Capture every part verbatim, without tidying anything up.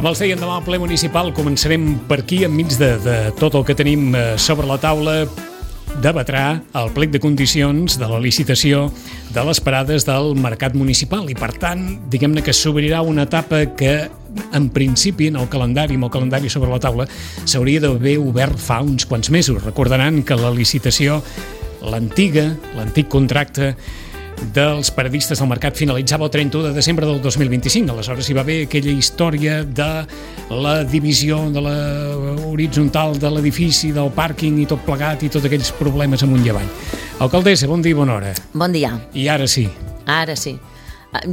Com els deien, demà al ple municipal començarem per aquí, enmig de, de tot el que tenim sobre la taula. Debatrà el plec de condicions de la licitació de les parades del mercat municipal i, per tant, diguem-ne que s'obrirà una etapa que, en principi, en el calendari, amb el calendari sobre la taula, s'hauria d'haver obert fa uns quants mesos. Recordaran que la licitació, l'antiga, l'antic contracte dels paradistes del mercat finalitzava el trenta-u de desembre del dos mil vint-i-cinc. Aleshores hi va haver aquella història de la divisió de la horitzontal de l'edifici, del pàrquing i tot plegat i tots aquells problemes amunt i avall. Alcaldessa, bon dia i bona hora. Bon dia. I ara sí. Ara sí.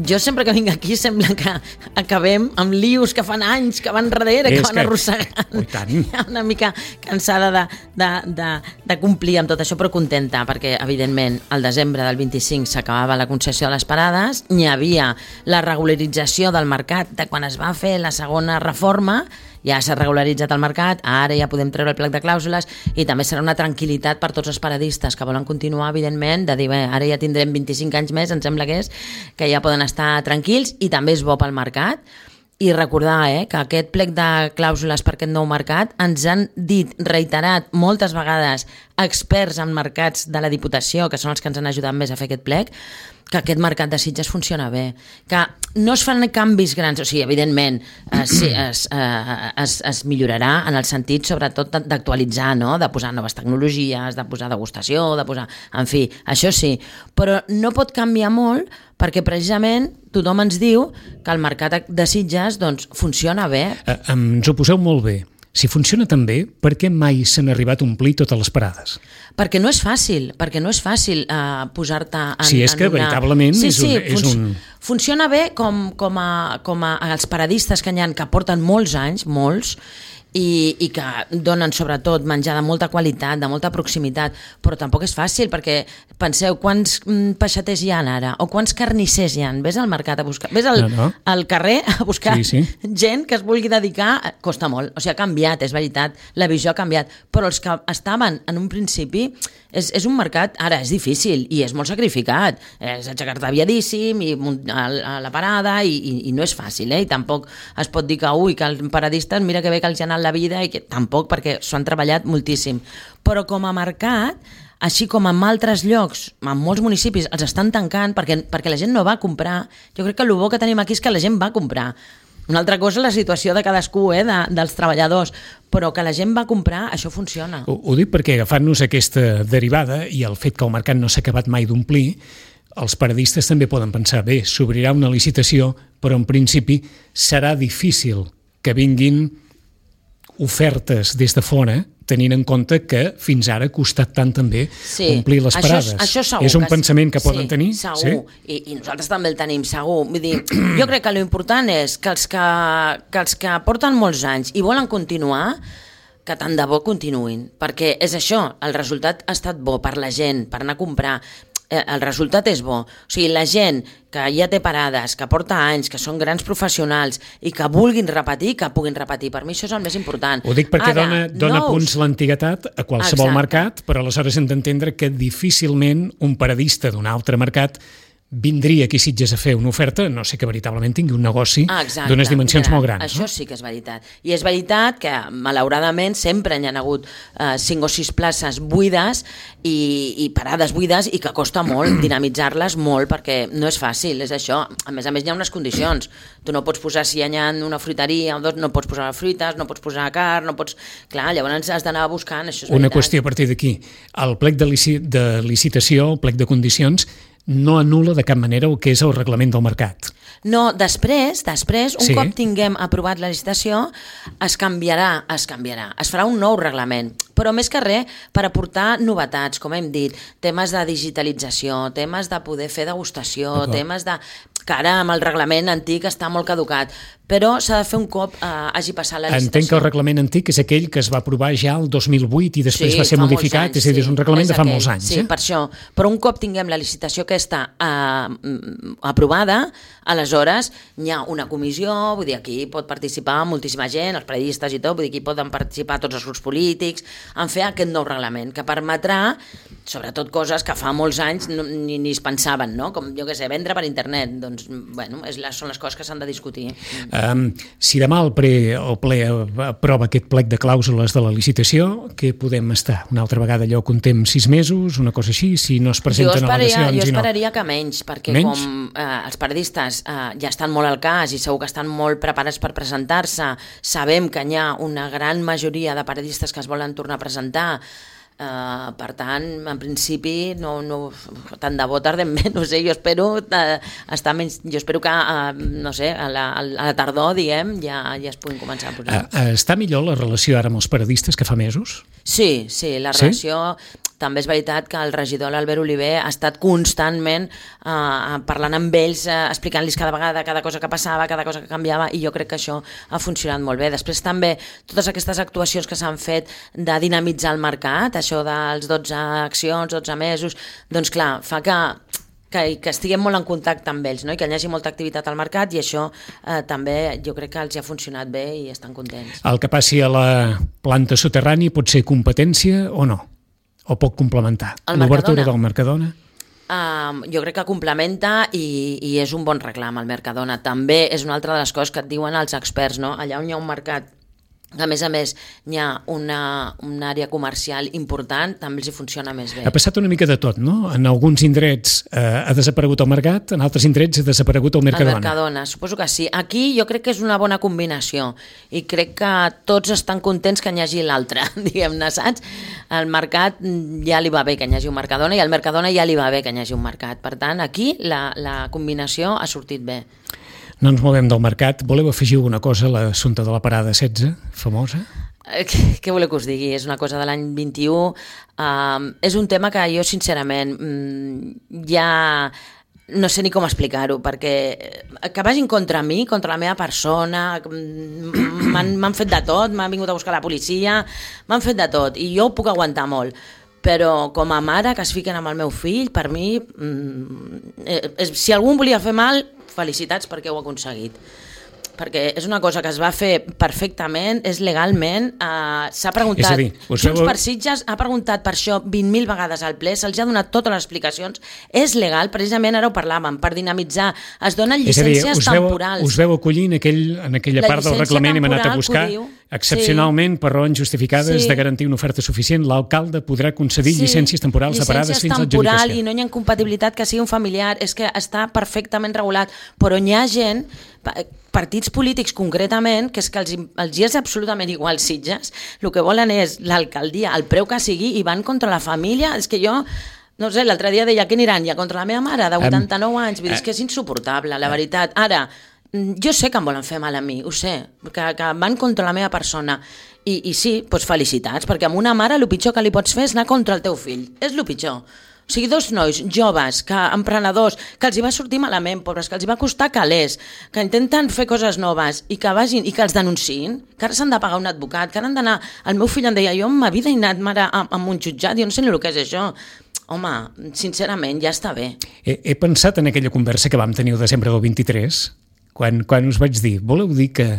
Jo sempre que vinc aquí sembla que acabem amb lius que fan anys que van darrere, que van que... arrossegant. Oh, tant. Una mica cansada de, de, de, de complir amb tot això, però contenta, perquè evidentment al desembre del vint-i-cinc s'acabava la concessió de les parades, n'hi havia la regularització del mercat de quan es va fer la segona reforma, ja s'ha regularitzat el mercat, ara ja podem treure el plec de clàusules i també serà una tranquil·litat per tots els paradistes que volen continuar, evidentment, de dir, bé, ara ja tindrem vint-i-cinc anys més, em sembla que és, que ja poden estar tranquils i també és bo pel mercat. I recordar eh, que aquest plec de clàusules per aquest nou mercat ens han dit, reiterat moltes vegades, experts en mercats de la Diputació, que són els que ens han ajudat més a fer aquest plec, que aquest mercat de Sitges funciona bé, que no es fan canvis grans, o sigui, evidentment eh, sí, es, eh, es, es millorarà en el sentit, sobretot, d'actualitzar, no? De posar noves tecnologies, de posar degustació, de posar... En fi, això sí, però no pot canviar molt perquè precisament tothom ens diu que el mercat de Sitges doncs, funciona bé. Eh, ens ho poseu molt bé. Si funciona tan bé, per què mai s'han arribat a omplir totes les parades? Perquè no és fàcil, perquè no és fàcil uh, posar-te en, sí, és que en una... veritablement sí, és, sí, un, és un... Funciona bé com, com, a, com a els paradistes que n'hi ha que porten molts anys, molts, i, i que donen sobretot menjar de molta qualitat, de molta proximitat, però tampoc és fàcil perquè penseu quants mm, peixaters hi ha ara o quants carnissers hi ha. Ves al mercat a buscar, ves al, no, no. al carrer a buscar sí, sí. gent que es vulgui dedicar, costa molt, o sigui, ha canviat, és veritat, la visió ha canviat, però els que estaven en un principi és, és un mercat, ara és difícil i és molt sacrificat, és aixecar-te aviadíssim i a, a la parada i, i, i no és fàcil, eh? I tampoc es pot dir que ui, que els paradistes mira que bé que els ha anat la vida i que tampoc, perquè s'ho han treballat moltíssim. Però com a mercat, així com en altres llocs, en molts municipis, els estan tancant perquè, perquè la gent no va comprar. Jo crec que el bo que tenim aquí és que la gent va comprar. Una altra cosa és la situació de cadascú, eh, de, dels treballadors, però que la gent va comprar, això funciona. Ho, ho dic perquè agafant-nos aquesta derivada i el fet que el mercat no s'ha acabat mai d'omplir, els paradistes també poden pensar, bé, s'obrirà una licitació, però en principi serà difícil que vinguin ofertes des de fora, tenint en compte que fins ara ha costat tant també sí, omplir les parades. Això, això segur, és un que pensament que sí, poden tenir? Segur, sí? I, i nosaltres també el tenim, segur. Vull dir, jo crec que l'important és que els que, que els que porten molts anys i volen continuar, que tant de bo continuïn, perquè és això, el resultat ha estat bo per la gent, per anar a comprar, el resultat és bo. O sigui, la gent que ja té parades, que porta anys, que són grans professionals i que vulguin repetir, que puguin repetir. Per mi això és el més important. Ho dic perquè Ara, dona, dona nous... punts l'antiguitat a qualsevol Exacte. mercat, però aleshores hem d'entendre que difícilment un paradista d'un altre mercat vindria aquí a Sitges a fer una oferta, no sé que veritablement tingui un negoci ah, d'unes dimensions Mira, molt grans. Això no? sí que és veritat. I és veritat que, malauradament, sempre hi ha hagut eh, cinc o sis places buides i, i parades buides i que costa molt dinamitzar-les molt perquè no és fàcil, és això. A més a més, hi ha unes condicions. Tu no pots posar, si hi ha una fruiteria o dos, no pots posar fruites, no pots posar carn, no pots... Clar, llavors has d'anar buscant, això és Una veritat. qüestió a partir d'aquí. El plec de, lici de licitació, el plec de condicions, no anul·la de cap manera el que és el reglament del mercat. No, després, després, un sí. cop tinguem aprovat la licitació, es canviarà, es canviarà, es farà un nou reglament, però més que res per aportar novetats, com hem dit, temes de digitalització, temes de poder fer degustació, temes de... que ara amb el reglament antic està molt caducat, però s'ha de fer un cop eh, hagi passat la licitació. Entenc que el reglament antic és aquell que es va aprovar ja el dos mil vuit i després sí, va ser modificat, anys, és a dir, és un reglament sí, de fa aquell, molts anys. Sí, eh? per això. Però un cop tinguem la licitació aquesta eh, aprovada, aleshores hi ha una comissió, vull dir, aquí pot participar moltíssima gent, els periodistes i tot, vull dir, aquí poden participar tots els grups polítics, en fer aquest nou reglament, que permetrà, sobretot coses que fa molts anys no, ni, ni es pensaven, no? Com, jo què sé, vendre per internet, doncs, bueno, és la, són les coses que s'han de discutir. Uh, Um, si demà el, pre, el ple aprova aquest plec de clàusules de la licitació, què podem estar? Una altra vegada allò contem sis mesos, una cosa així, si no es presenten al·legacions? Jo esperaria no. que menys, perquè menys? com eh, els periodistes eh, ja estan molt al cas i segur que estan molt preparats per presentar-se, sabem que hi ha una gran majoria de periodistes que es volen tornar a presentar. Uh, per tant, en principi no, no, tant de bo tardem menys, no sé, jo espero uh, estar menys, jo espero que uh, no sé, a la, a la tardor diguem, ja, ja es puguin començar a posar. Uh, està millor la relació ara amb els periodistes que fa mesos? Sí, sí, la sí? relació... També és veritat que el regidor l'Albert Oliver ha estat constantment eh, parlant amb ells, eh, explicant-los cada vegada cada cosa que passava, cada cosa que canviava, i jo crec que això ha funcionat molt bé. Després també totes aquestes actuacions que s'han fet de dinamitzar el mercat, això dels dotze accions, dotze mesos, doncs clar, fa que Que, que estiguem molt en contacte amb ells, no? I que hi hagi molta activitat al mercat, i això eh, també jo crec que els ha funcionat bé i estan contents. El que passi a la planta soterrani pot ser competència o no? O pot complementar l'obertura del Mercadona? Uh, jo crec que complementa i, i és un bon reclam al Mercadona. També és una altra de les coses que et diuen els experts, no? Allà on hi ha un mercat, a més a més hi ha una, una àrea comercial important, també els hi funciona més bé. Ha passat una mica de tot, no? En alguns indrets eh, ha desaparegut el mercat, en altres indrets ha desaparegut el Mercadona. El Mercadona, suposo que sí. Aquí jo crec que és una bona combinació i crec que tots estan contents que hi hagi l'altre, diguem-ne, saps? Al mercat ja li va bé que hi hagi un Mercadona i al Mercadona ja li va bé que hi hagi un mercat. Per tant, aquí la, la combinació ha sortit bé. No ens movem del mercat. Voleu afegir alguna cosa a l'assumpte de la parada setze, famosa? Què, què voleu que us digui? És una cosa de l'any vint-i-u. Uh, és un tema que jo, sincerament, ja no sé ni com explicar-ho, perquè que vagin contra mi, contra la meva persona, m'han fet de tot, m'han vingut a buscar la policia, m'han fet de tot, i jo ho puc aguantar molt. Però com a mare que es fiquen amb el meu fill, per mi, eh, si algú em volia fer mal, felicitats perquè ho ha aconseguit. Perquè és una cosa que es va fer perfectament, és legalment, eh, s'ha preguntat, és a dir, Junts per Sitges ha preguntat per això vint mil vegades al ple, se'ls ha donat totes les explicacions, és legal, precisament ara ho parlàvem, per dinamitzar, es donen llicències dir, us veu, temporals. Us veu acollir en, aquell, en aquella La part del reglament hem anat a buscar, diu, excepcionalment, sí. per raons justificades sí. de garantir una oferta suficient, l'alcalde podrà concedir sí. llicències temporals llicències de parades fins a temporal, l'adjudicació. I no hi ha incompatibilitat que sigui un familiar, és que està perfectament regulat, però hi ha gent, partits polítics concretament, que és que els, els és absolutament igual Sitges, el que volen és l'alcaldia, el preu que sigui, i van contra la família. És que jo, no sé, l'altre dia deia que aniran ja contra la meva mare de vuitanta-nou anys, vull dir, és que és insuportable, la veritat. Ara, jo sé que em volen fer mal a mi, ho sé, que, que van contra la meva persona, i, i sí, doncs felicitats, perquè amb una mare el pitjor que li pots fer és anar contra el teu fill, és el pitjor. O sigui, dos nois joves, que emprenedors, que els hi va sortir malament, pobres, que els hi va costar calés, que intenten fer coses noves i que vagin i que els denunciïn, que ara s'han de pagar un advocat, que ara han d'anar... El meu fill em deia, jo en ma vida he anat mare amb un jutjat, jo no sé ni el que és això. Home, sincerament, ja està bé. He, he pensat en aquella conversa que vam tenir el desembre del vint-i-tres, quan, quan us vaig dir, voleu dir que,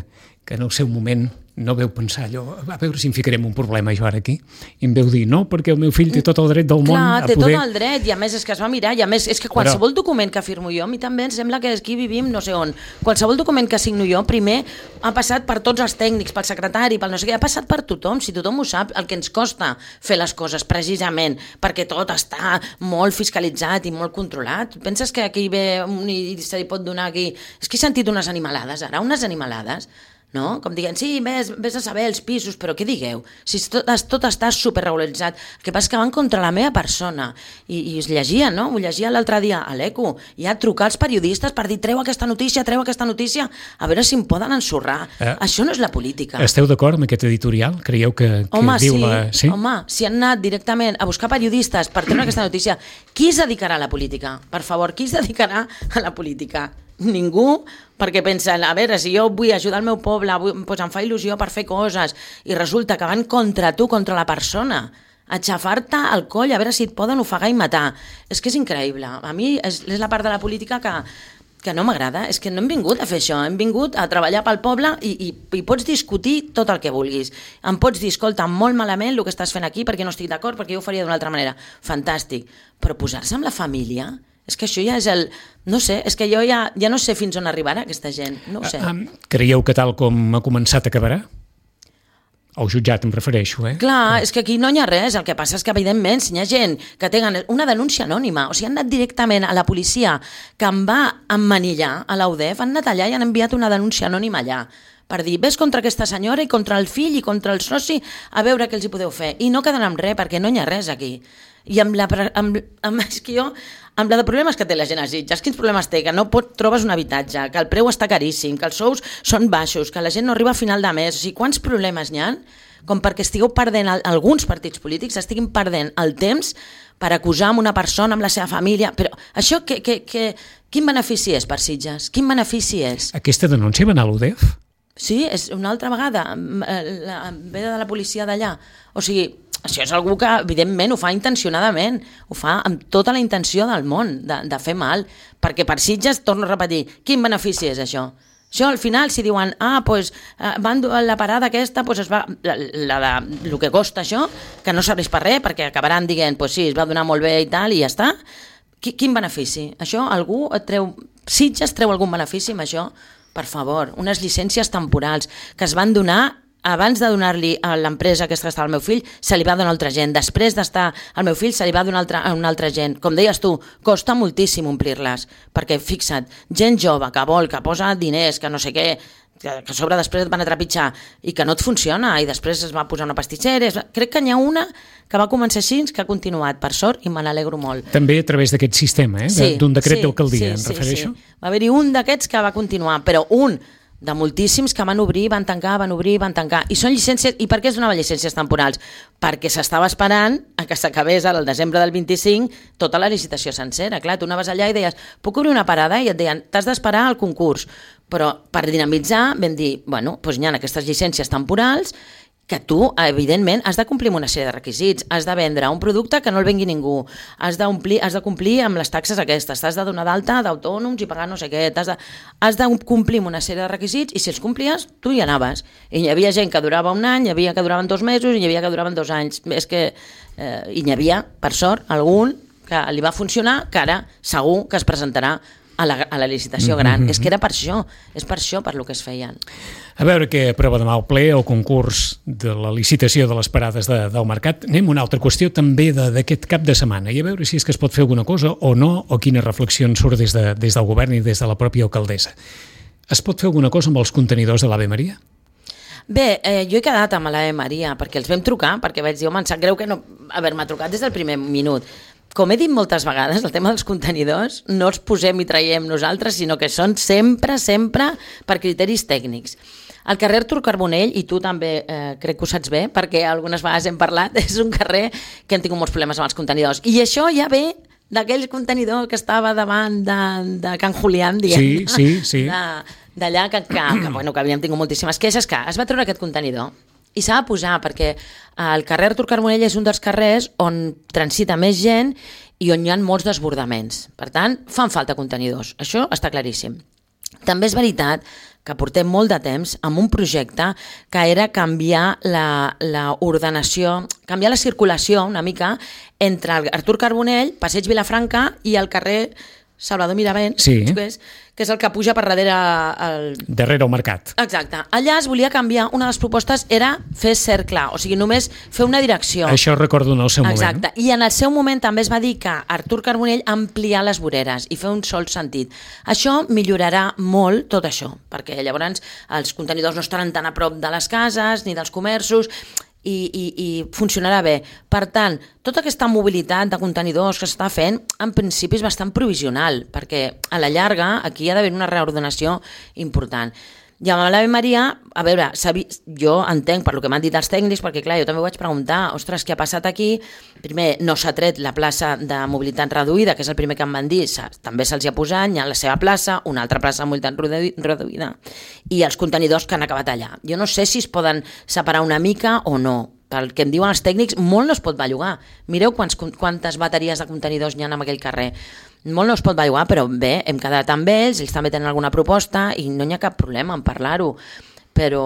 que en el seu moment no veu pensar allò, a veure si em ficarem un problema jo ara aquí, i em veu dir no, perquè el meu fill té tot el dret del món Clar, a té poder... tot el dret, i a més és que es va mirar, i a més és que qualsevol Però... document que firmo jo, a mi també em sembla que aquí vivim no sé on, qualsevol document que signo jo primer ha passat per tots els tècnics, pel secretari, pel no sé què, ha passat per tothom, si tothom ho sap, el que ens costa fer les coses precisament, perquè tot està molt fiscalitzat i molt controlat. Penses que aquí ve un i se li pot donar aquí... És que he sentit unes animalades ara, unes animalades, no? Com dient, sí, ves, ves a saber els pisos, però què digueu? Si tot, tot està superregularitzat, el que passa és que van contra la meva persona, i, i es llegia, no? Ho llegia l'altre dia a l'Eco, i a trucar als periodistes per dir, treu aquesta notícia, treu aquesta notícia, a veure si em poden ensorrar. Eh, Això no és la política. Esteu d'acord amb aquest editorial? Creieu que, que home, diu sí, la... Sí? Home, si han anat directament a buscar periodistes per treure aquesta notícia, qui es dedicarà a la política? Per favor, qui es dedicarà a la política? Ningú, perquè pensen, a veure, si jo vull ajudar el meu poble, vull, doncs em fa il·lusió per fer coses, i resulta que van contra tu, contra la persona, a xafar-te al coll, a veure si et poden ofegar i matar. És que és increïble. A mi és, és la part de la política que, que no m'agrada. És que no hem vingut a fer això, hem vingut a treballar pel poble i, i, i pots discutir tot el que vulguis. Em pots dir, escolta, molt malament el que estàs fent aquí perquè no estic d'acord, perquè jo ho faria d'una altra manera. Fantàstic. Però posar-se amb la família És que això ja és el... No sé, és que jo ja, ja no sé fins on arribarà aquesta gent, no ho sé. Ah, creieu que tal com ha començat acabarà? Al jutjat em refereixo, eh? Clar, és que aquí no hi ha res, el que passa és que evidentment si hi ha gent que tenen una denúncia anònima, o sigui, han anat directament a la policia que em va emmanillar a l'A U D E F, han anat allà i han enviat una denúncia anònima allà per dir, ves contra aquesta senyora i contra el fill i contra el soci a veure què els hi podeu fer. I no quedaran amb res, perquè no hi ha res aquí. I amb la, amb, amb, és que jo, amb la de problemes que té la gent a Sitges, quins problemes té? Que no pot, trobes un habitatge, que el preu està caríssim, que els sous són baixos, que la gent no arriba a final de mes. O sigui, quants problemes n'hi ha com perquè estigueu perdent, alguns partits polítics estiguin perdent el temps per acusar amb una persona, amb la seva família. Però això, que, que, que, quin benefici és per Sitges? Quin benefici és? Aquesta denúncia va anar a l'U D E F? Sí, és una altra vegada, la, ve de la policia d'allà. O sigui, això és algú que evidentment ho fa intencionadament, ho fa amb tota la intenció del món de, de fer mal, perquè per Sitges, torno a repetir, quin benefici és això? Això al final si diuen, ah, doncs van la parada aquesta, doncs es va, la, la, la, el que costa això, que no serveix per res, perquè acabaran dient, doncs sí, es va donar molt bé i tal, i ja està. Quin benefici? Això algú et treu, Sitges treu algun benefici amb això? Per favor, unes llicències temporals que es van donar abans de donar-li a l'empresa aquesta que estava al meu fill, se li va donar a altra gent. Després d'estar al meu fill, se li va donar altra, a una altra gent. Com deies tu, costa moltíssim omplir-les, perquè fixa't, gent jove que vol, que posa diners, que no sé què, que a sobre després et van a trepitjar i que no et funciona, i després es va posar una pastissera. Crec que n'hi ha una que va començar així, que ha continuat, per sort, i me n'alegro molt. També a través d'aquest sistema, eh? Sí, d'un decret sí, d'alcaldia, sí, em refereixo? Sí, sí. Va haver-hi un d'aquests que va continuar, però un de moltíssims que van obrir, van tancar, van obrir, van tancar. I són llicències... I per què es donaven llicències temporals? Perquè s'estava esperant a que s'acabés al desembre del vint-i-cinc tota la licitació sencera. Clar, tu anaves allà i deies, puc obrir una parada? I et deien, t'has d'esperar al concurs. Però per dinamitzar vam dir, bueno, doncs hi ha aquestes llicències temporals que tu, evidentment, has de complir amb una sèrie de requisits, has de vendre un producte que no el vengui ningú, has de, omplir, has de complir amb les taxes aquestes, t'has de donar d'alta d'autònoms i pagar no sé què, has de, has de complir amb una sèrie de requisits i si els complies, tu hi anaves. I hi havia gent que durava un any, hi havia que duraven dos mesos i hi havia que duraven dos anys. És que, eh, i n'hi havia, per sort, algun que li va funcionar, que ara segur que es presentarà a la, a la licitació gran. Mm-hmm. És que era per això, és per això per lo que es feien. A veure què aprova demà el ple, el concurs de la licitació de les parades de, del mercat. Anem a una altra qüestió també d'aquest cap de setmana, i a veure si és que es pot fer alguna cosa o no, o quines reflexions surt des, de, des del govern i des de la pròpia alcaldessa. Es pot fer alguna cosa amb els contenidors de l'Ave Maria? Bé, eh, jo he quedat amb l'Ave Maria perquè els vam trucar, perquè vaig dir, home, em sap greu que no haver-me trucat des del primer minut. Com he dit moltes vegades, el tema dels contenidors no els posem i traiem nosaltres, sinó que són sempre, sempre per criteris tècnics. El carrer Artur Carbonell, i tu també eh, crec que ho saps bé, perquè algunes vegades hem parlat, és un carrer que han tingut molts problemes amb els contenidors. I això ja ve d'aquell contenidor que estava davant de, de Can Julián, diguem, sí, sí, sí. d'allà que, que, que, bueno, que havíem tingut moltíssimes queixes, que es va treure aquest contenidor. I s'ha de posar, perquè el carrer Artur Carbonell és un dels carrers on transita més gent i on hi ha molts desbordaments. Per tant, fan falta contenidors. Això està claríssim. També és veritat que portem molt de temps amb un projecte que era canviar la, la ordenació, canviar la circulació una mica entre el Artur Carbonell, Passeig Vilafranca i el carrer Salvador Miravent, sí. que, és, que és el que puja per darrere el... darrere el mercat. Exacte. Allà es volia canviar, una de les propostes era fer cercle, o sigui, només fer una direcció. Això recordo en el seu Exacte. moment. I en el seu moment també es va dir que Artur Carbonell ampliar les voreres i fer un sol sentit. Això millorarà molt tot això, perquè llavors els contenidors no estaran tan a prop de les cases ni dels comerços, I, i, i funcionarà bé. Per tant, tota aquesta mobilitat de contenidors que s'està fent, en principi és bastant provisional, perquè a la llarga aquí hi ha d'haver una reordenació important. I amb l'Ave Maria, a veure, jo entenc per lo que m'han dit els tècnics, perquè clar, jo també ho vaig preguntar, ostres, què ha passat aquí? Primer, no s'ha tret la plaça de mobilitat reduïda, que és el primer que em van dir, també se'ls ha posat, hi ha la seva plaça, una altra plaça de mobilitat reduïda, i els contenidors que han acabat allà. Jo no sé si es poden separar una mica o no. Pel que em diuen els tècnics, molt no es pot bellugar. Mireu quants, quantes bateries de contenidors hi ha en aquell carrer. Molt no es pot bellugar, però bé, hem quedat amb ells, ells també tenen alguna proposta i no hi ha cap problema en parlar-ho. però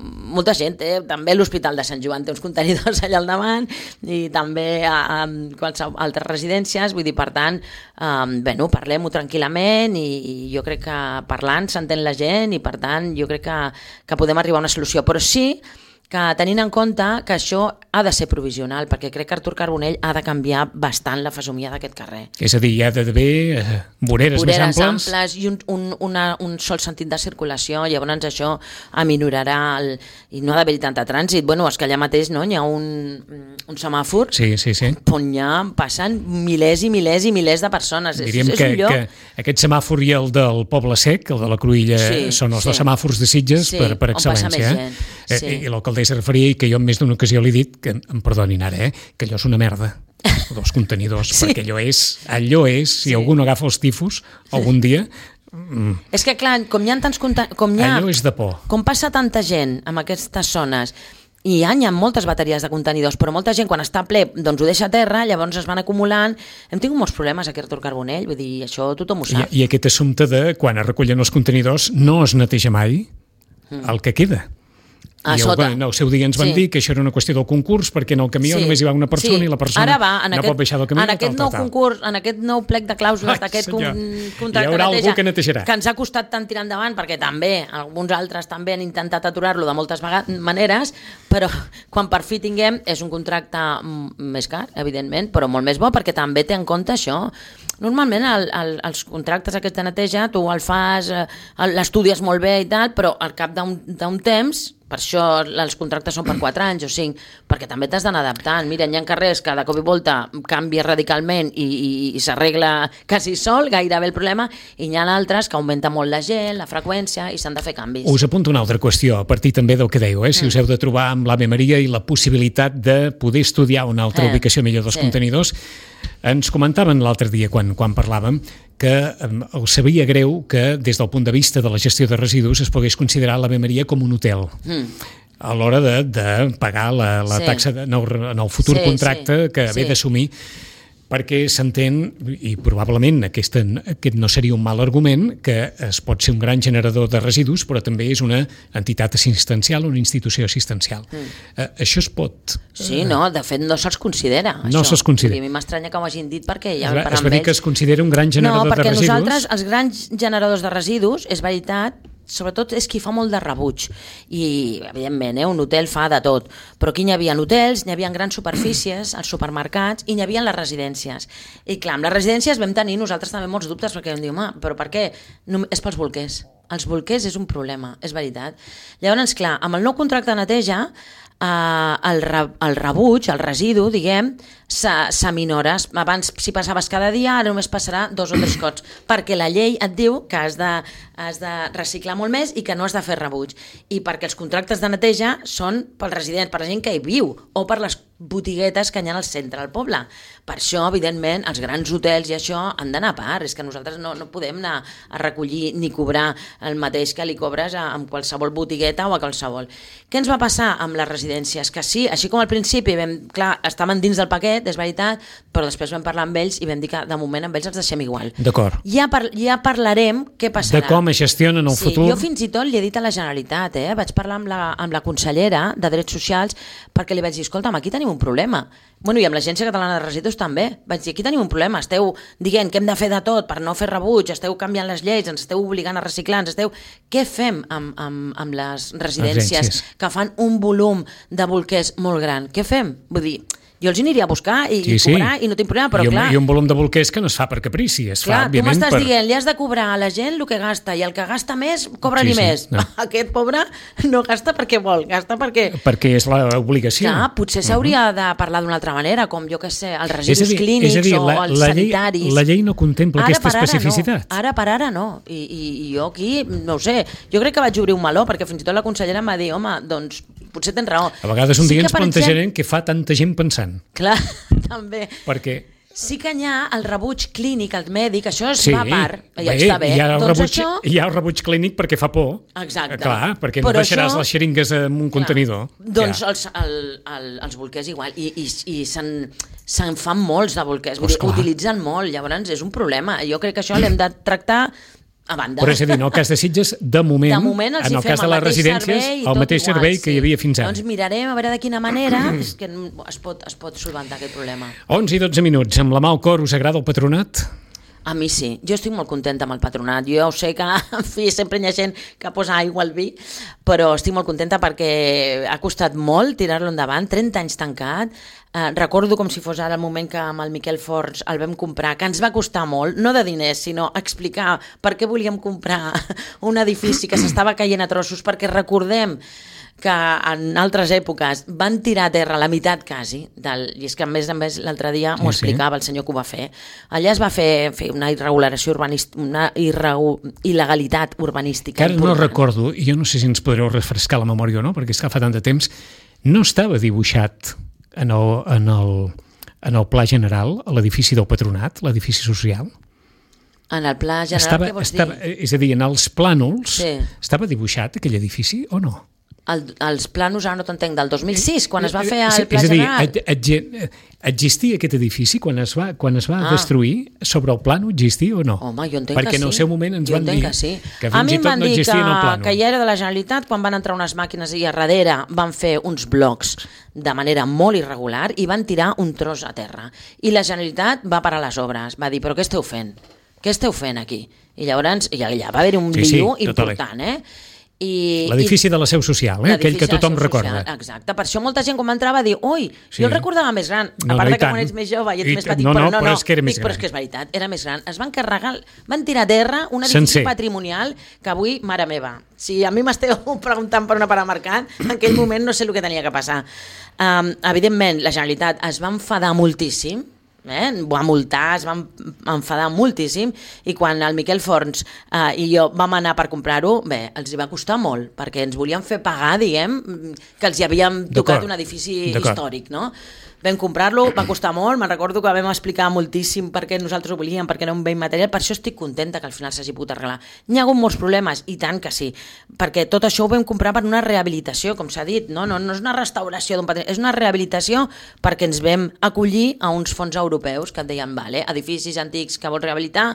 molta gent té, també l'Hospital de Sant Joan té uns contenidors allà al davant i també a, a qualsevol altres residències, vull dir, per tant, eh, bueno, parlem-ho tranquil·lament i, i jo crec que parlant s'entén la gent i per tant jo crec que, que podem arribar a una solució, però sí que tenint en compte que això ha de ser provisional, perquè crec que Artur Carbonell ha de canviar bastant la fesomia d'aquest carrer. És a dir, hi ha d'haver eh, voreres, voreres més amples. amples i un, un, una, un sol sentit de circulació, llavors això aminorarà el, i no ha d'haver-hi tanta trànsit. Bueno, és que allà mateix no, hi ha un, un semàfor sí, sí, sí. on ja passen milers i milers i milers de persones. Diríem és, és que, un lloc... que aquest semàfor i el del Poble Sec, el de la Cruïlla, sí, són els sí. dos semàfors de Sitges sí, per, per excel·lència. Eh? Sí. I, i l'alcaldessa referia i que jo en més d'una ocasió li he dit, que em perdonin ara, eh, que allò és una merda, dos contenidors, sí. perquè allò és, allò és, si sí. algú no agafa els tifus algun dia... Mm. És que clar, com hi ha tants... Com hi ha, allò és de por. Com passa tanta gent en aquestes zones i hi ha, hi ha moltes bateries de contenidors, però molta gent quan està ple doncs ho deixa a terra, llavors es van acumulant. Hem tingut molts problemes aquí a Artur Carbonell, vull dir, això tothom ho sap. I, i aquest assumpte de quan es recullen els contenidors no es neteja mai mm. el que queda. A I sota. El, el seu dia ens van sí. dir que això era una qüestió del concurs perquè en el camió sí. només hi va una persona sí. i la persona Ara va, en no aquest, pot baixar del camió. En aquest nou concurs, en aquest nou plec de clàusules d'aquest contracte hi haurà neteja, algú que netejarà. Que ens ha costat tant tirar endavant perquè també alguns altres també han intentat aturar-lo de moltes maneres, però quan per fi tinguem és un contracte més car, evidentment, però molt més bo perquè també té en compte això. Normalment el, el, els contractes aquests de neteja tu el fas, l'estudies molt bé i tal, però al cap d'un temps, per això els contractes són per quatre anys o cinc, perquè també t'has d'anar adaptant. Mira, hi ha carrers que de cop i volta canvia radicalment i, i, i s'arregla quasi sol, gairebé el problema, i hi ha altres que augmenta molt la gent, la freqüència, i s'han de fer canvis. Us apunto una altra qüestió, a partir també del que dèieu, eh? si mm. us heu de trobar amb l'Ave Maria i la possibilitat de poder estudiar una altra eh, ubicació millor dels sí. contenidors. Ens comentaven l'altre dia, quan, quan parlàvem, que eh, els sabia greu que des del punt de vista de la gestió de residus es pogués considerar l'Ave Maria com un hotel. Mm. A l'hora de, de pagar la, la sí. taxa de, en, el, en el futur sí, contracte sí. que haver sí. d'assumir, perquè s'entén, i probablement aquest, aquest no seria un mal argument, que es pot ser un gran generador de residus, però també és una entitat assistencial, una institució assistencial. Mm. Uh, això es pot... Sí, no, de fet no se'ls considera. No se'ls considera. A mi m'estranya que ho hagin dit perquè ja es va, per es va dir ells... que es considera un gran generador no, de residus. No, perquè nosaltres, els grans generadors de residus, és veritat, sobretot és qui fa molt de rebuig i evidentment eh, un hotel fa de tot, però aquí hi havia hotels, hi havia grans superfícies, els supermercats i hi havia les residències, i clar, amb les residències vam tenir nosaltres també molts dubtes perquè vam dir, home, però per què? No, és pels bolquers, els bolquers és un problema, és veritat. Llavors, clar, amb el nou contracte de neteja eh, el, re, el rebuig, el residu, diguem, s'aminores. Abans, si passaves cada dia, ara només passarà dos o tres cops, perquè la llei et diu que has de, has de reciclar molt més i que no has de fer rebuig. I perquè els contractes de neteja són pels residents, per la gent que hi viu, o per les botiguetes que hi ha al centre del poble. Per això, evidentment, els grans hotels i això han d'anar a part. És que nosaltres no, no podem anar a recollir ni cobrar el mateix que li cobres a, a qualsevol botigueta o a qualsevol. Què ens va passar amb les residències? Que sí, així com al principi, vam, clar, estaven dins del paquet, és veritat, però després vam parlar amb ells i vam dir que de moment amb ells els deixem igual. D'acord. Ja, par ja parlarem què passarà. De com es gestionen el sí, futur. Jo fins i tot li he dit a la Generalitat, eh? Vaig parlar amb la, amb la consellera de Drets Socials perquè li vaig dir, escolta'm, aquí tenim un problema. Bueno, i amb l'Agència Catalana de Residus també. Vaig dir, aquí tenim un problema, esteu dient que hem de fer de tot per no fer rebuig, esteu canviant les lleis, ens esteu obligant a reciclar, ens esteu... Què fem amb, amb, amb les residències Agències. que fan un volum de bolquers molt gran? Què fem? Vull dir, jo els aniria a buscar i, sí, i cobrar sí. i no tinc problema, però I un, clar... I un volum de bolquers que no es fa per caprici, es clar, fa, òbviament, tu m'estàs per... dient, li has de cobrar a la gent el que gasta, i el que gasta més, cobra-li sí, sí, més. No. Aquest pobre no gasta perquè vol, gasta perquè... Perquè és l'obligació. Clar, potser s'hauria uh -huh. de parlar d'una altra manera, com jo que sé, els residus dir, clínics dir, la, o els la sanitaris. Llei, la llei no contempla ara aquesta especificitat. No. Ara per ara no. I, i, I jo aquí, no ho sé, jo crec que vaig obrir un meló, perquè fins i tot la consellera em va dir, home, doncs potser tens raó. A vegades un sí dia ens plantejarem exemple... què fa tanta gent pensant. Clar, també. Perquè... Sí que hi ha el rebuig clínic, el mèdic, això es sí, va a part, ja bé, està bé. Hi ha, el doncs rebuig, això... hi ha el rebuig clínic perquè fa por. Exacte. Clar, perquè no però deixaràs això... les xeringues en un clar. Contenidor. Doncs ja. els, el, el, els bolquers igual, i, i, i se'n se'n fan molts de bolquers, pues utilitzen molt, llavors és un problema. Jo crec que això l'hem de tractar a banda. Però és a dir, en el cas de Sitges, de moment, de moment en el cas de les residències, el mateix igual, servei sí. que hi havia fins ara. Doncs mirarem a veure de quina manera és que es pot, es pot solventar aquest problema. onze i dotze minuts. Amb la mà al cor, us agrada el patronat? A mi sí, jo estic molt contenta amb el patronat. Jo sé que, en fi, sempre hi ha gent que posa aigua al vi, però estic molt contenta perquè ha costat molt tirar-lo endavant, trenta anys tancat. Eh, recordo com si fos ara el moment que amb el Miquel Forns el vam comprar, que ens va costar molt, no de diners, sinó explicar per què volíem comprar un edifici que s'estava caient a trossos, perquè recordem que en altres èpoques van tirar a terra la meitat quasi, del, i és que a més a més l'altre dia m'ho sí, explicava sí. el senyor que ho va fer. Allà es va fer, fer una irregulació urbanística, una irregu, il·legalitat urbanística. Que ara no recordo, i jo no sé si ens podreu refrescar la memòria o no, perquè és que fa tant de temps, no estava dibuixat en el, en el, en el pla general a l'edifici del patronat, l'edifici social? En el pla general, estava, què vols estava, dir? És a dir, en els plànols, Sí. estava dibuixat aquell edifici o no? El, els plànols, ara no t'entenc, del dos mil sis, quan es va fer és, el pla és a dir, general. et, et, existia aquest edifici quan es va, quan es va Ah. destruir sobre el plano, existia o no? Home, jo entenc Perquè que sí. en el seu moment ens jo van dir que, sí. que a fins mi i em tot van no dir existia que, en el plano. que ja era de la Generalitat quan van entrar unes màquines i a darrere van fer uns blocs de manera molt irregular i van tirar un tros a terra. I la Generalitat va parar les obres, va dir, però què esteu fent? Què esteu fent aquí? I llavors i allà va haver un Sí, sí, lío total. important, eh? I, L'edifici de la seu social, eh? aquell que tothom recorda. Social, exacte, per això molta gent quan va entrar va dir ui, Sí. jo el recordava més gran, No, a part no, i de que tant. quan ets més jove i ets I més tant. petit, No, però no, no, però no, és que era més dic, però gran. és que és veritat, era més gran. Es van carregar, van tirar a terra un edifici Sencer. patrimonial que avui, mare meva, si a mi m'esteu preguntant per una part de mercat, en aquell moment no sé el que tenia que passar. Um, evidentment, la Generalitat es va enfadar moltíssim, Eh? va multar, es van enfadar moltíssim i quan el Miquel Forns eh, i jo vam anar per comprar-ho, bé, els hi va costar molt, perquè ens volien fer pagar, diguem, que els hi havíem tocat un edifici històric, no? Vam comprar-lo, va costar molt, me'n recordo que vam explicar moltíssim per què nosaltres ho volíem, perquè era un bé immaterial, per això estic contenta que al final s'hagi pogut arreglar. N'hi ha hagut molts problemes, i tant que sí, perquè tot això ho vam comprar per una rehabilitació, com s'ha dit, no, no, no és una restauració d'un patrimoni, és una rehabilitació perquè ens vam acollir a uns fons europeus que et deien, vale, edificis antics que vols rehabilitar,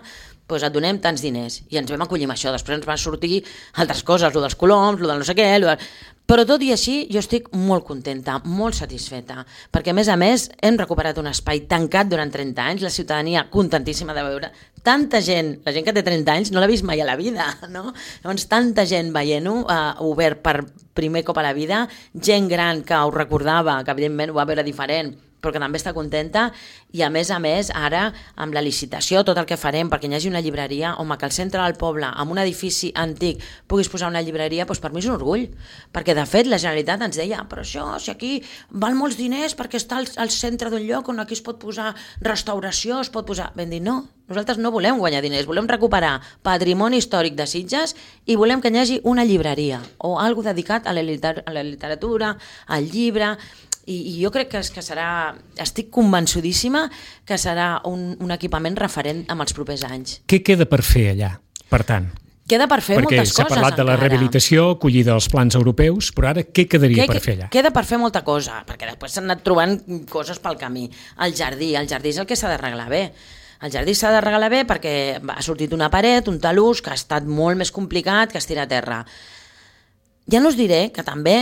doncs et donem tants diners, i ens vam acollir amb això. Després ens van sortir altres coses, lo dels coloms, lo del no sé què, lo del... Però tot i així jo estic molt contenta, molt satisfeta, perquè a més a més hem recuperat un espai tancat durant trenta anys, la ciutadania contentíssima de veure tanta gent, la gent que té trenta anys no l'ha vist mai a la vida, no? Llavors tanta gent veient-ho, eh, obert per primer cop a la vida, gent gran que ho recordava, que evidentment ho va veure diferent, però que també està contenta, i a més a més ara amb la licitació, tot el que farem perquè hi hagi una llibreria, home, que al centre del poble amb un edifici antic puguis posar una llibreria, doncs per mi és un orgull, perquè de fet la Generalitat ens deia, però això, si aquí val molts diners perquè està al, al centre d'un lloc on aquí es pot posar restauració, es pot posar... Vam dir, no, nosaltres no volem guanyar diners, volem recuperar patrimoni històric de Sitges i volem que hi hagi una llibreria o algo dedicat a la, liter a la literatura, al llibre. I, i jo crec que, que serà, estic convençudíssima que serà un, un equipament referent amb els propers anys. Què queda per fer allà, per tant? Queda per fer Perquè moltes coses s'ha parlat de la encara. rehabilitació, acollida als plans europeus, però ara què quedaria Què- per fer allà? Queda per fer molta cosa, perquè després s'han anat trobant coses pel camí. El jardí, el jardí és el que s'ha d'arreglar bé. El jardí s'ha d'arreglar bé perquè ha sortit una paret, un talús, que ha estat molt més complicat que es tira a terra. Ja no us diré que també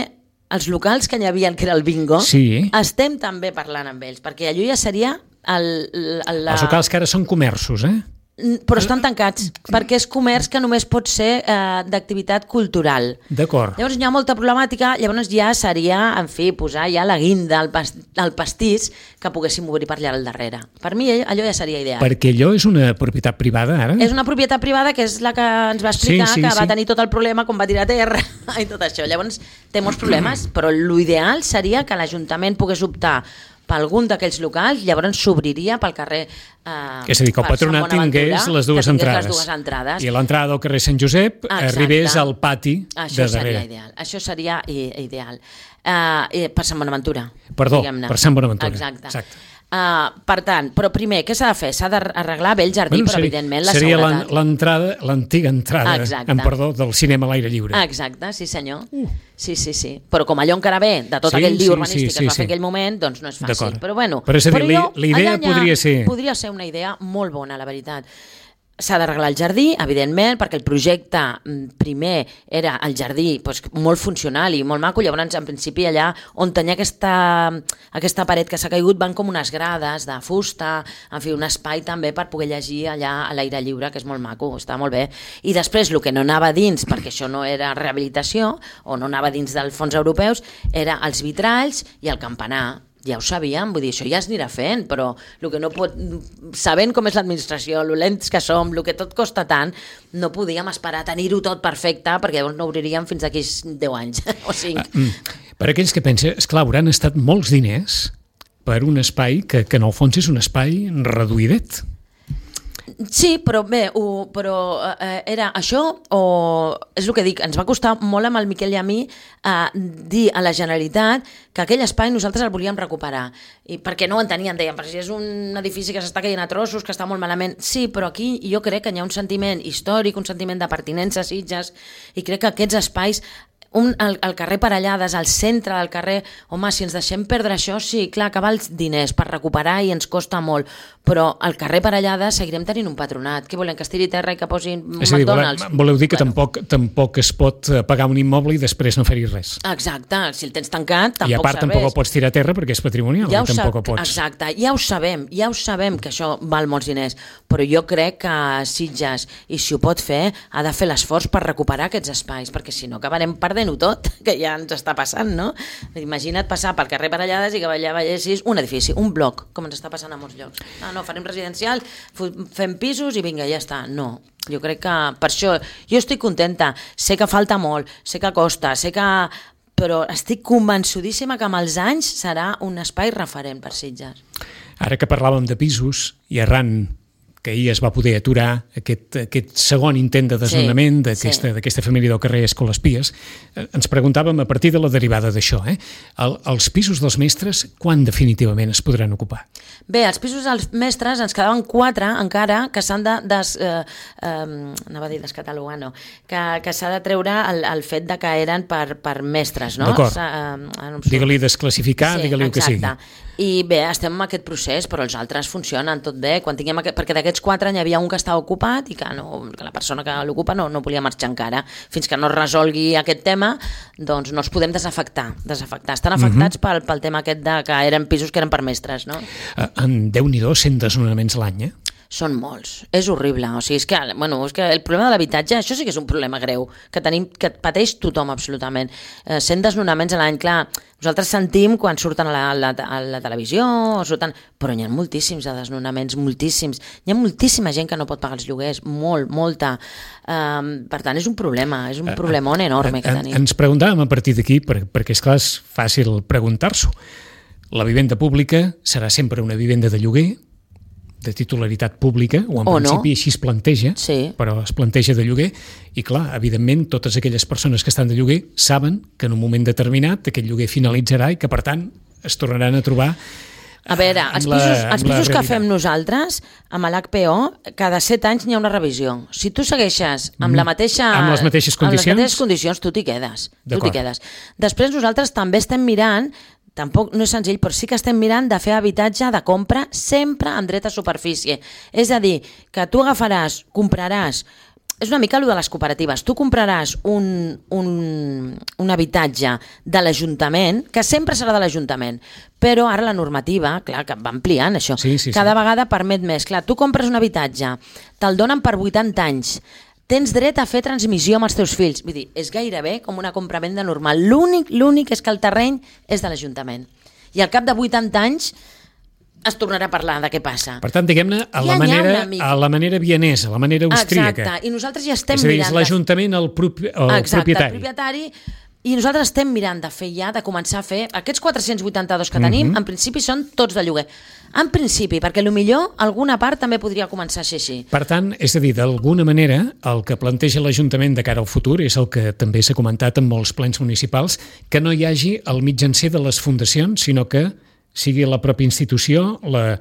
els locals que hi havia, que era el bingo, Sí. estem també parlant amb ells, perquè allò ja seria el, el, la... Els locals que ara són comerços, eh? Però estan tancats, perquè és comerç que només pot ser eh, d'activitat cultural. D'acord. Llavors hi ha molta problemàtica, llavors ja seria, en fi, posar ja la guinda, el, pas, el pastís, que poguéssim obrir per allà al darrere. Per mi allò ja seria ideal. Perquè allò és una propietat privada, ara? És una propietat privada que és la que ens va explicar, Sí, sí, que sí. va tenir tot el problema quan va tirar a terra i tot això. Llavors té molts problemes, però l'ideal seria que l'Ajuntament pogués optar per algun d'aquells locals, llavors s'obriria pel carrer eh, És a dir, que el per Sant patronat Bonaventura, tingués les dues que tingués entrades. les dues entrades. I a l'entrada del carrer Sant Josep Exacte. arribés al pati Això de seria darrere. ideal. Això seria i- ideal. Uh, eh, per Sant Bonaventura. Perdó, diguem-ne. per Sant Bonaventura. Exacte. Exacte. Uh, per tant, però primer, què s'ha de fer? S'ha d'arreglar bé el jardí, però seria, evidentment la seria l'en- seguretat. l'entrada, l'antiga entrada, Exacte. en perdó, del cinema a l'aire lliure. Exacte, sí senyor. Uh. Sí, sí, sí. Però com allò encara ve de tot Sí, aquell sí, lío urbanístic sí, que sí, es va sí. fer aquell moment, doncs no és fàcil. D'acord. Però bueno, Però és a dir, però jo, la idea allà ja podria ser- podria ser una idea molt bona, la veritat. S'ha d'arreglar el jardí, evidentment, perquè el projecte primer era el jardí doncs, molt funcional i molt maco, llavors en principi allà on tenia aquesta, aquesta paret que s'ha caigut van com unes grades de fusta, en fi, un espai també per poder llegir allà a l'aire lliure, que és molt maco, està molt bé. I després el que no anava dins, perquè això no era rehabilitació, o no anava dins dels fons europeus, era els vitralls i el campanar. Ja ho sabíem, vull dir, això ja es anirà fent, però el que no pot, sabent com és l'administració, lo lents que som, el que tot costa tant, no podíem esperar tenir-ho tot perfecte, perquè llavors no obriríem fins d'aquí deu anys o cinc. Per aquells que pensen, esclar, hauran estat molts diners per un espai que, que en el fons és un espai reduïdet. Sí, però bé, ho, però eh, era això o... És el que dic, ens va costar molt amb el Miquel i a mi eh, dir a la Generalitat que aquell espai nosaltres el volíem recuperar. I perquè no ho entenien, deien, però si és un edifici que s'està caient a trossos, que està molt malament. Sí, però aquí jo crec que hi ha un sentiment històric, un sentiment de pertinença a Sitges, i crec que aquests espais... Un, el, el carrer Parellades, al centre del carrer, home, si ens deixem perdre això, sí, clar, que val diners per recuperar i ens costa molt, però al carrer Parellades seguirem tenint un patronat. Què volen, que es tiri terra i que posin és a dir, McDonald's? Voleu, voleu dir que bueno. tampoc, tampoc es pot pagar un immoble i després no fer-hi res. Exacte, si el tens tancat, tampoc serveix. I a part serveix. tampoc el pots tirar a terra perquè és patrimonial, ja i tampoc sab... ho pots. Exacte, ja ho sabem, ja ho sabem que això val molts diners, però jo crec que Sitges, i si ho pot fer, ha de fer l'esforç per recuperar aquests espais, perquè si no acabarem perdent-ho tot, que ja ens està passant, no? Imagina't passar pel carrer Parellades i que allà veiessis un edifici, un bloc, com ens està passant a molts llocs. No, no, farem residencial, fem pisos i vinga, ja està. No, jo crec que per això jo estic contenta, sé que falta molt, sé que costa, sé que... però estic convençudíssima que amb els anys serà un espai referent per Sitges. Ara que parlàvem de pisos i arran que ahir es va poder aturar aquest, aquest segon intent de desnonament sí, d'aquesta, sí. d'aquesta família del carrer Escolaspies, ens preguntàvem a partir de la derivada d'això, eh? El, els pisos dels mestres, quan definitivament es podran ocupar? Bé, els pisos dels mestres ens quedaven quatre encara que s'han de, des, eh, eh, anava a dir descatalogar, no, que, que s'ha de treure el, el fet de que eren per, per mestres, no? D'acord, eh, no digue-li desclassificar, sí, digue-li el que sigui. I bé, estem en aquest procés, però els altres funcionen tot bé. Quan tinguem aquest, perquè d'aquests quatre n'hi havia un que estava ocupat i que, no, que la persona que l'ocupa no, no volia marxar encara. Fins que no es resolgui aquest tema, doncs no els podem desafectar. desafectar. Estan afectats uh-huh. pel, pel tema aquest de que eren pisos que eren per mestres, no? Uh, en Déu-n'hi-do, cent desnonaments a l'any, eh? Són molts, és horrible, o sigui, és que, bueno, és que el problema de l'habitatge, això sí que és un problema greu, que tenim, que pateix tothom absolutament. Eh, cent desnonaments a l'any, clar, nosaltres sentim quan surten a la, a la, a la televisió, o surten, però n'hi ha moltíssims de desnonaments, moltíssims. Hi ha moltíssima gent que no pot pagar els lloguers, molt, molta. Um, per tant, és un problema, és un problemón enorme que tenim. Ens preguntàvem a partir d'aquí, per, perquè és clar, és fàcil preguntar-s'ho. La vivenda pública serà sempre una vivenda de lloguer, de titularitat pública, o en o principi no. així es planteja, sí. però es planteja de lloguer, i clar, evidentment, totes aquelles persones que estan de lloguer saben que en un moment determinat aquest lloguer finalitzarà i que, per tant, es tornaran a trobar A veure, els la, pisos, els pisos que realitat. fem nosaltres, amb l'H P O, cada set anys n'hi ha una revisió. Si tu segueixes amb la mateixa... Amb les mateixes condicions? Amb les mateixes condicions, tu t'hi quedes. Tu t'hi quedes. Després nosaltres també estem mirant, tampoc no és senzill, però sí que estem mirant de fer habitatge de compra sempre amb dret a superfície. És a dir, que tu agafaràs, compraràs... És una mica allò de les cooperatives. Tu compraràs un, un, un habitatge de l'Ajuntament, que sempre serà de l'Ajuntament, però ara la normativa, clar, que va ampliant això, sí, sí, cada sí. vegada permet més. Clar, tu compres un habitatge, te'l donen per vuitanta anys, tens dret a fer transmissió amb els teus fills. Vull dir, és gairebé com una compravenda normal. L'únic, l'únic és que el terreny és de l'Ajuntament. I al cap de vuitanta anys es tornarà a parlar de què passa. Per tant, diguem-ne, a, ja la manera, a la manera vienesa, a la manera austríaca. Exacte, i nosaltres ja estem és a dir, mirant... És l'Ajuntament el, propi, el Exacte, propietari. el propietari, i nosaltres estem mirant de fer ja, de començar a fer... Aquests quatre-cents vuitanta-dos que tenim, uh-huh. en principi són tots de lloguer. En principi, perquè potser alguna part també podria començar a ser així. Per tant, és a dir, d'alguna manera, el que planteja l'Ajuntament de cara al futur és el que també s'ha comentat en molts plens municipals, que no hi hagi el mitjancer de les fundacions, sinó que sigui la pròpia institució, la,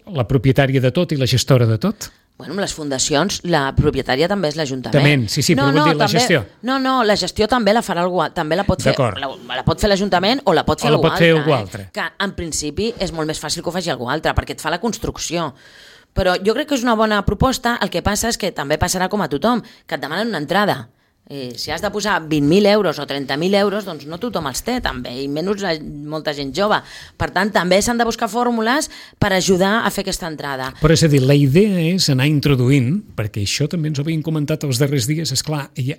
la propietària de tot i la gestora de tot? Bueno, amb les fundacions, la propietària també és l'Ajuntament. També, sí, sí, no, però no, vull dir la també, gestió. No, no, la gestió també la farà algú, també la pot fer, la, la pot fer l'Ajuntament o la pot fer, o la algú, pot fer altre, algú eh? altre. Que en principi és molt més fàcil que ho faci algú altre, perquè et fa la construcció. Però jo crec que és una bona proposta, el que passa és que també passarà com a tothom, que et demanen una entrada. I si has de posar vint mil euros o trenta mil euros, doncs no tothom els té també, i menys la, molta gent jove. Per tant, també s'han de buscar fórmules per ajudar a fer aquesta entrada. Però és a dir, la idea és anar introduint, perquè això també ens ho havien comentat els darrers dies, esclar, ja,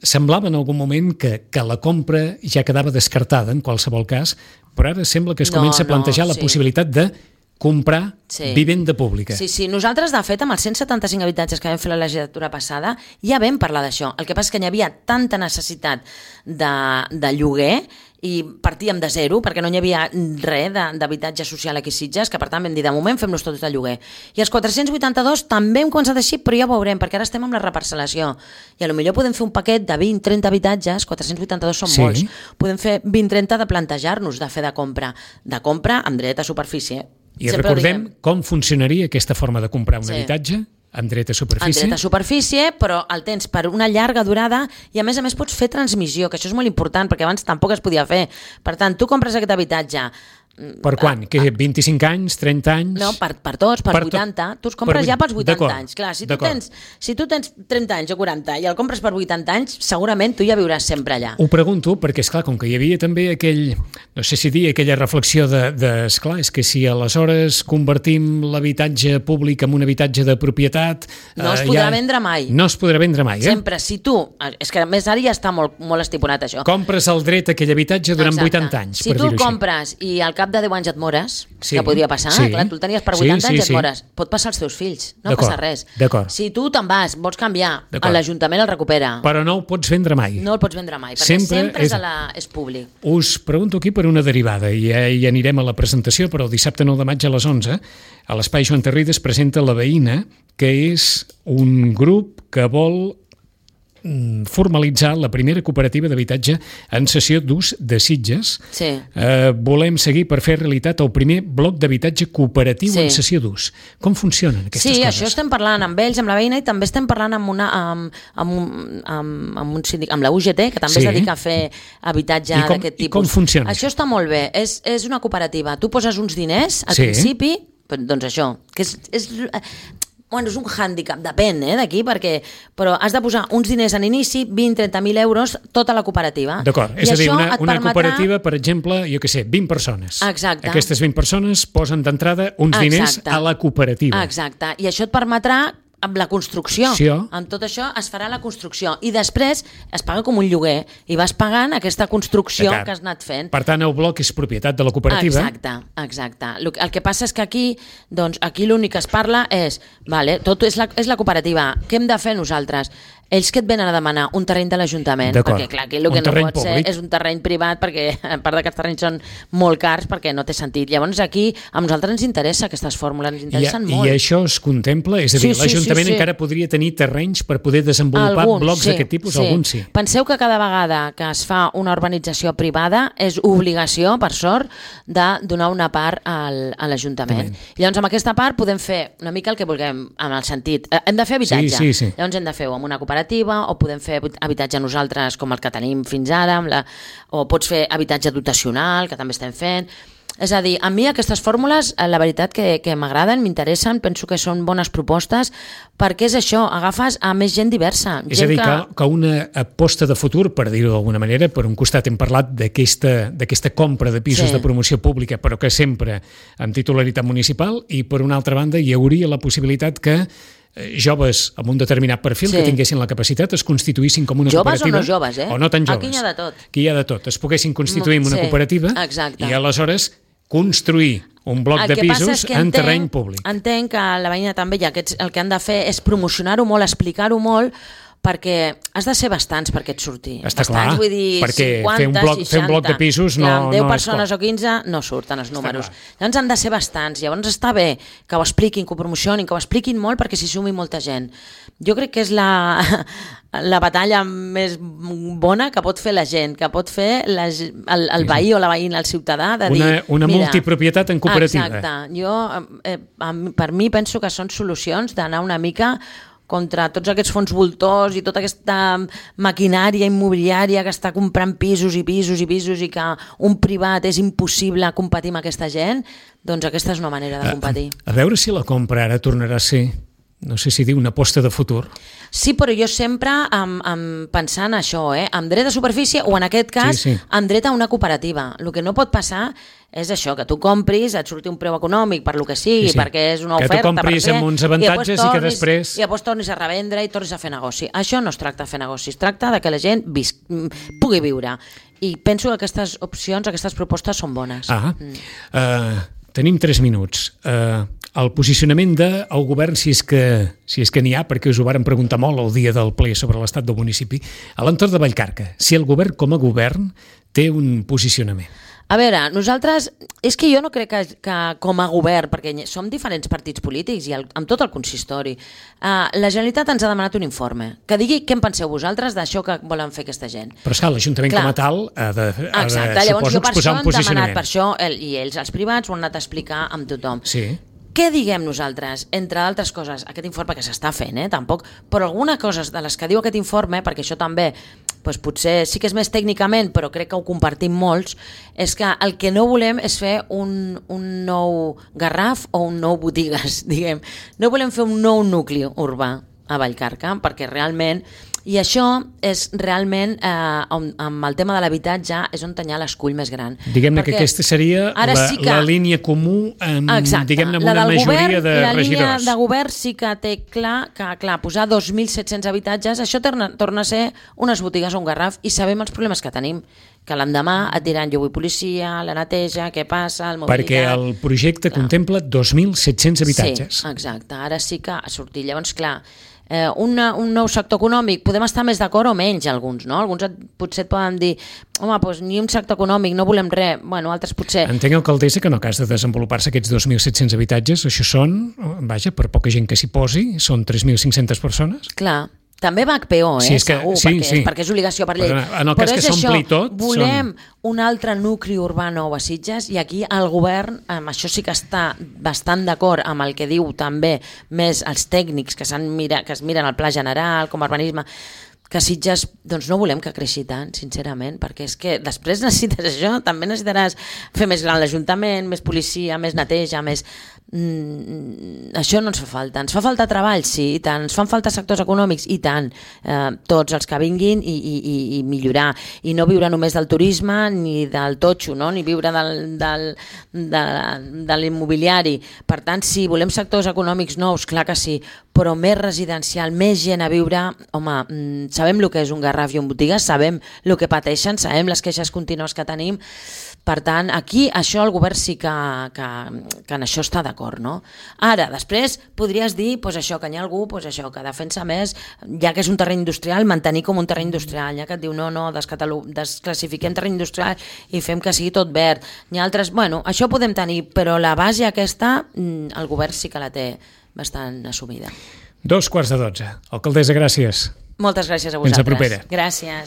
semblava en algun moment que, que la compra ja quedava descartada en qualsevol cas, però ara sembla que es No, comença a plantejar no, la sí. possibilitat de comprar Sí. vivenda pública. Sí, sí. Nosaltres, de fet, amb els cent setanta-cinc habitatges que vam fer la legislatura passada, ja vam parlar d'això. El que passa és que hi havia tanta necessitat de, de lloguer i partíem de zero, perquè no hi havia res d'habitatge social aquí a Sitges, que per tant vam dir, de moment fem-los tots de lloguer. I els quatre-cents vuitanta-dos també hem començat així, però ja ho veurem, perquè ara estem amb la reparcel·lació. I a lo millor podem fer un paquet de vint trenta habitatges, quatre-cents vuitanta-dos són Sí. molts. Podem fer vint trenta de plantejar-nos de fer de compra. De compra amb dret a superfície. I Sempre ho recordem diem. com funcionaria aquesta forma de comprar un Sí. habitatge amb dret a En superfície. dret a superfície, però el tens per una llarga durada i a més a més pots fer transmissió, que això és molt important perquè abans tampoc es podia fer. Per tant, tu compres aquest habitatge... Per quan? Que vint-i-cinc anys, trenta anys? No, per, per tots, per, Per tot- vuitanta. Tu els compres per ja pels vuitanta d'acord, anys. Clar, si tu, d'acord. tens, si tu tens trenta anys o quaranta i el compres per vuitanta anys, segurament tu ja viuràs sempre allà. Ho pregunto perquè, esclar, com que hi havia també aquell, no sé si dir, aquella reflexió de, de esclar, és que si aleshores convertim l'habitatge públic en un habitatge de propietat... No es eh, podrà ja, vendre mai. No es podrà vendre mai, eh? Sempre, si tu... És que a més ara ja està molt, molt estipulat això. Compres el dret a aquell habitatge durant Exacte. vuitanta anys, Si per tu dir-ho el compres i al cap de deu anys et mores, Sí. que podria passar, Sí. clar, tu el tenies per Sí, vuitanta sí, anys i et sí. mores. Pot passar als teus fills, no D'acord, passa res. d'acord. Si tu te'n vas, vols canviar, D'acord. l'Ajuntament el recupera. així. Però no ho pots vendre mai. No el pots vendre mai, perquè Sempre sempre, és- és, a la, és públic. Us pregunto aquí per una derivada, i ja hi anirem a la presentació, però el dissabte nou de maig a les onze, a l'Espai Joan Terrides presenta La Veïna, que és un grup que vol mm, formalitzar la primera cooperativa d'habitatge en cessió d'ús de Sitges. Sí. Eh, volem seguir per fer realitat el primer bloc d'habitatge cooperatiu Sí. en cessió d'ús. Com funcionen aquestes Sí, coses? això estem parlant amb ells, amb la veïna, i també estem parlant amb, una, amb, amb, un, amb, amb, un sindic, amb la U G T, que també Sí. es dedica a fer habitatge I com- d'aquest i tipus. com funciona Això està molt bé. És, és una cooperativa. Tu poses uns diners al Sí. principi, però, doncs això, que és... és Bueno, és un hàndicap, depèn eh, d'aquí, perquè però has de posar uns diners en inici, vint a trenta mil euros, tota la cooperativa. D'acord, I és a dir, això una, et una permetrà- cooperativa, per exemple, jo què sé, vint persones. Exacte. Aquestes vint persones posen d'entrada uns diners Exacte. a la cooperativa. Exacte, i això et permetrà amb la construcció, Sí. amb tot això es farà la construcció i després es paga com un lloguer i vas pagant aquesta construcció D'acord. que has anat fent. Per tant, el bloc és propietat de la cooperativa. Exacte, exacte. El el que passa és que aquí, doncs, aquí l'únic que es parla és, vale, tot és la, és la cooperativa, què hem de fer nosaltres? Ells que et venen a demanar un terreny de l'Ajuntament, D'acord. perquè clar, aquí el Un que no terreny pot ser públic. és un terreny privat, perquè a part que els terrenys són molt cars, perquè no té sentit. Llavors aquí a nosaltres ens interessa aquestes fórmules, ens I, interessen molt. I això es contempla? És a dir, Sí, sí, l'Ajuntament sí, sí. encara podria tenir terrenys per poder desenvolupar Alguns, blocs sí, d'aquest tipus? sí. Alguns sí. Penseu que cada vegada que es fa una urbanització privada és obligació, per sort, de donar una part al, a l'Ajuntament. I llavors amb aquesta part podem fer una mica el que vulguem, en el sentit, eh, hem de fer habitatge. Sí, sí, sí. Llavors hem de fer-ho amb una cooperativa o podem fer habitatge nosaltres com el que tenim fins ara, amb la, o pots fer habitatge dotacional, que també estem fent. És a dir, a mi aquestes fórmules, eh, la veritat que, que m'agraden, m'interessen, penso que són bones propostes, perquè és això, agafes a més gent diversa. És gent a dir, que, que una aposta de futur, per dir-ho d'alguna manera, per un costat hem parlat d'aquesta d'aquesta compra de pisos Sí. de promoció pública, però que sempre amb titularitat municipal, i per una altra banda hi hauria la possibilitat que eh, joves amb un determinat perfil Sí. que tinguessin la capacitat es constituïssin com una Joves o cooperativa. no joves, eh? O no tan joves. Aquí hi ha de tot. Aquí hi ha de tot. Es poguessin constituir en una Sí, cooperativa exacte. i aleshores construir un bloc El de que passa pisos és que en entenc, terreny públic. Entenc que la veïna també, i aquests, el que han de fer és promocionar-ho molt, explicar-ho molt, perquè has de ser bastants perquè et surti. Està bastants, clar, vull dir, perquè cinquanta, fer un bloc- seixanta, fer un bloc de pisos no- clar, amb deu no és persones poc. o quinze no surten els números. clar. Llavors han de ser bastants. Llavors està bé que ho expliquin, que ho promocionin, que ho expliquin molt perquè s'hi sumi molta gent. Jo crec que és la, la batalla més bona que pot fer la gent, que pot fer la, el, el veí o la veïna, el ciutadà, de dir... Una, una mira, multipropietat en cooperativa. Exacte. Jo, eh, a mi- per mi, penso que són solucions d'anar una mica contra tots aquests fons voltors i tota aquesta maquinària immobiliària que està comprant pisos i pisos i pisos i que un privat és impossible competir amb aquesta gent, doncs aquesta és una manera de competir. A, a veure si la compra ara tornarà a ser, no sé si dir, una aposta de futur. Sí, però jo sempre amb, amb pensant això, eh? amb dret a superfície o en aquest cas sí, sí. amb dret a una cooperativa. El que no pot passar és això, que tu compris, et surti un preu econòmic per lo que sigui, sí, sí. perquè és una que oferta. Que tu compris per fer, amb uns avantatges i, tornis, i que després... I després tornis a revendre i tornis a fer negoci. Això no es tracta de fer negoci, es tracta de que la gent vis... pugui viure. I penso que aquestes opcions, aquestes propostes són bones. Ah, mm. uh, tenim tres minuts. Uh, el posicionament del govern, si és que si és que n'hi ha, perquè us ho varen preguntar molt el dia del ple sobre l'estat del municipi, a l'entorn de Vallcarca, si el govern com a govern té un posicionament. A veure, nosaltres, és que jo no crec que, que com a govern, perquè som diferents partits polítics i el, amb tot el consistori, uh, la Generalitat ens ha demanat un informe que digui què en penseu vosaltres d'això que volen fer aquesta gent. Però esclar, l'Ajuntament com a tal ha de, ha Exacte, de llavors jo per exposar un posicionament. Per això el, i ells, els privats, ho han anat a explicar amb tothom. Sí. Què diguem nosaltres? Entre altres coses, aquest informe que s'està fent, eh, tampoc, però alguna cosa de les que diu aquest informe, perquè això també doncs potser sí que és més tècnicament, però crec que ho compartim molts, és que el que no volem és fer un, un nou Garraf o un nou Botigues, diguem. No volem fer un nou nucli urbà a Vallcarca, perquè realment... I això és realment, eh, amb el tema de l'habitatge, és on tenia l'escull més gran. Diguem-ne que aquesta seria la, sí que, la línia comú amb, diguem-ne, amb una majoria govern, de la regidors. La línia de govern sí que té clar que clar, posar dos mil set-cents habitatges, això torna, torna a ser unes botigues o un Garraf, i sabem els problemes que tenim, que l'endemà et diran jo vull policia, la neteja, què passa, el mobilitat... Perquè el projecte clar. contempla dos mil set-cents habitatges. Sí, exacte, ara sí que ha sortit. Llavors, clar, Eh, una, un nou sector econòmic, podem estar més d'acord o menys alguns, no? Alguns et, potser et poden dir home, doncs ni un sector econòmic, no volem res, bueno, altres potser... Entenc, alcaldessa, que en el cas de desenvolupar-se aquests dos mil set-cents habitatges, això són, vaja, per poca gent que s'hi posi, són tres mil cinc-centes persones? Clar, també va H P O, eh, sí, és que, segur, sí, perquè, sí. És, perquè és obligació per llei. Però en el cas Però que s'ompli tot... Volem són... un altre nucli urbà nou a Sitges i aquí el govern, amb això sí que està bastant d'acord amb el que diu també més els tècnics que, mira, que es miren al pla general, com a urbanisme, que Sitges, doncs no volem que creixi tant, sincerament, perquè és que després necessites això, també necessitaràs fer més gran l'Ajuntament, més policia, més neteja, més... Mm, això no ens fa falta. Ens fa falta treball, sí, i tant. Ens fan falta sectors econòmics, i tant. Eh, tots els que vinguin i, i, i millorar. I no viure només del turisme ni del totxo, no? Ni viure del, del, de, de l'immobiliari. Per tant, sí, volem sectors econòmics nous, clar que sí, però més residencial, més gent a viure. Home, sabem el que és un Garraf i un Botigues, sabem el que pateixen, sabem les queixes contínues que tenim. Per tant, aquí això el govern sí que, que, que en això està d'acord, no? Ara, després podries dir pues, això, que hi ha algú pues, això, que defensa més, ja que és un terreny industrial, mantenir com un terreny industrial, ja que et diu no, no, desclassifiquem terreny industrial i fem que sigui tot verd. Hi ha altres, bueno, això podem tenir, però la base aquesta el govern sí que la té bastant assumida. Dos quarts de dotze. Alcaldessa, gràcies. Moltes gràcies a vosaltres. Fins a propera. Gràcies.